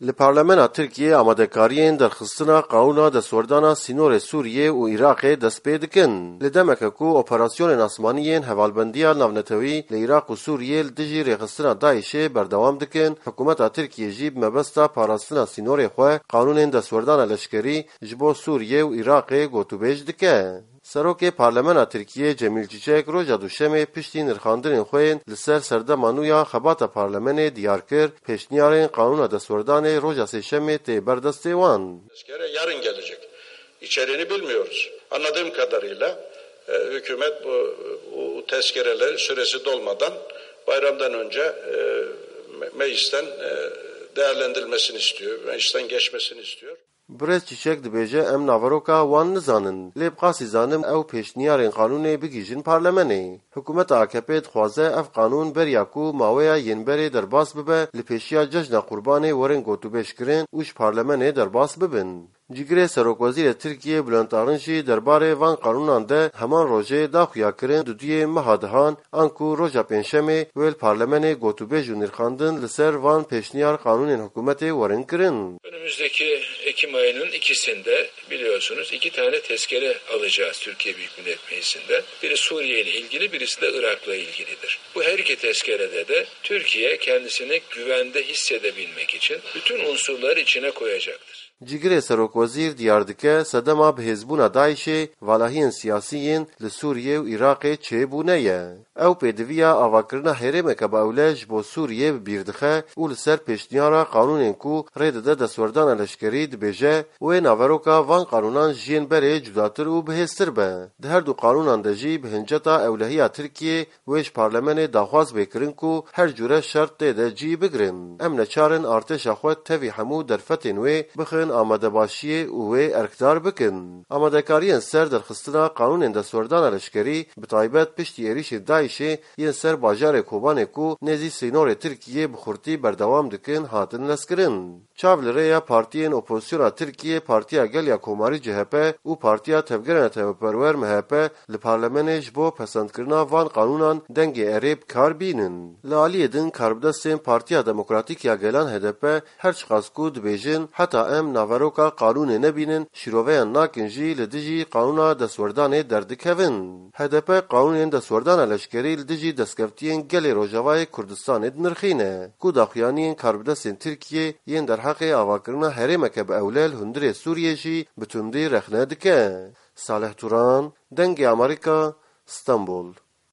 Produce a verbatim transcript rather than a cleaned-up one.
Li Parlemena Tirkiyê amadekariyên derxistina qanûna destwerdana sînorê Sûriyê û Iraqê dest pê dikin. Li demeke ku operasyonên asmanî yên Hevalbendiya Navnetewî li Iraq û Sûriyê li dijî rêxistina DAIŞê berdewam dikin, hikûmeta Tirkiyê jî bi mebesta parastina sînorê xwe qanûnên destwerdana leşkerî ji bo Sûriyê û Iraqê gotûbêj dike. Serokê Parlemena Tirkiyê Cemîl Çiçek roja Duşemê piştî nirxandinên xwe yên li ser serdema nû ya xebata Parlemenê diyar kir, pêşniyarên qanûna destwerdanê roja Sêşemê tê ber destê wan. Tezkere yarın gelecek. İçeriğini bilmiyoruz. Anladığım kadarıyla, e, hükümet bu, bu tezkereler süresi dolmadan bayramdan önce, e, me-, meclisten, e, değerlendirilmesini istiyor, meclisten geçmesini istiyor. Birêz Çîçek dibêje, em naveroka wan nizanin, lê bi qasî zanim ew pêşniyarên qanûnê bigihîjin parlemenê. Hikûmeta A K P dixwaze ev qanûn beriya ku maweya yên berê derbas bibe, li pêşiya cejna Qurbanê werin gotûbêjkirin û ji parlemenê derbas bibin. Cîgirê Serokwezîrê Tirkiyê Bülent Arınç jî derbarê van qanûnan de heman rojê da xuyakirin duduyê meha dihan, anku roja Pêncşemê wê li parlemenê gotûbêj û nirxandin li ser van pêşniyar qanûnên hikûmetê werin kirin. Önümüzdeki Ekim ayının ikisinde biliyorsunuz iki tane tezkere alacağız Türkiye Büyük Millet Meclisi'nden. Biri Suriye ile ilgili, birisi de Irak'la ilgilidir. Bu her iki tezkerede de Türkiye kendisini güvende hissedebilmek için bütün unsurları içine koyacaktır. Cîgirê Serokwezîr diyar dike, sedema bihêzbûna DAIŞê valahiyên siyasî yên li Sûriyê û Iraqê çêbûne ye. Ew pêdiviya avakirina herêmeke bi ewle ji bo Sûriyê bi bîr dixe û li ser pêşniyara qanûnên ku rê dide destwerdana leşkerî dibêje, wê naveroka van qanûnan ji yên berê cudatir û bihêztir be. Di her du qanûnan de jî bi hinceta ewlehiya Tirkiyê wê ji parlemenê daxwaz bê kirin ku her cûre şert tê de cî bigirin. Em neçar in artêşa xwe tevî hemû derfetên wê bixin amadebaşiyê û wê erkdar bikin. Amadekariyên ser derxistina qanûnên destwerdana leşkerî, bi taybet piştî êrîşên DAIŞê yên ser bajarê Kobanê ku nêzî sînorê Tirkiyê bi xurtî berdewam dikin, hatin lezkirin. Çav li rêya partiyên opozisyona Tirkiyê, Partiya Gel ya Komarî C H P û Partiya Tevgera Netewperwer M H P li parlemenê ji bo pesendkirina van qanûnan dengê erê bi kar bînin. Li aliyê din karbidestên Partiya Demokratîk ya Gelan H D P her çiqas ku dibêjin heta em naveroka qanûnê nebînin şîroveyan nakin jî li dijî qanûna destwerdanê derdikevin. H D P qanûnên destwerdana leşkerî li dijî destkeftiyên gelê Rojavayê Kurdistanê dinirxîne, ku daxuyaniyên karbidestên Tirkiyê yên derheqê avakirina herêmeke bi ewle li hundirê Sûriyê jî bi tundî rexne dike. Salih Turan, Dengê Amerîka, Stenbol.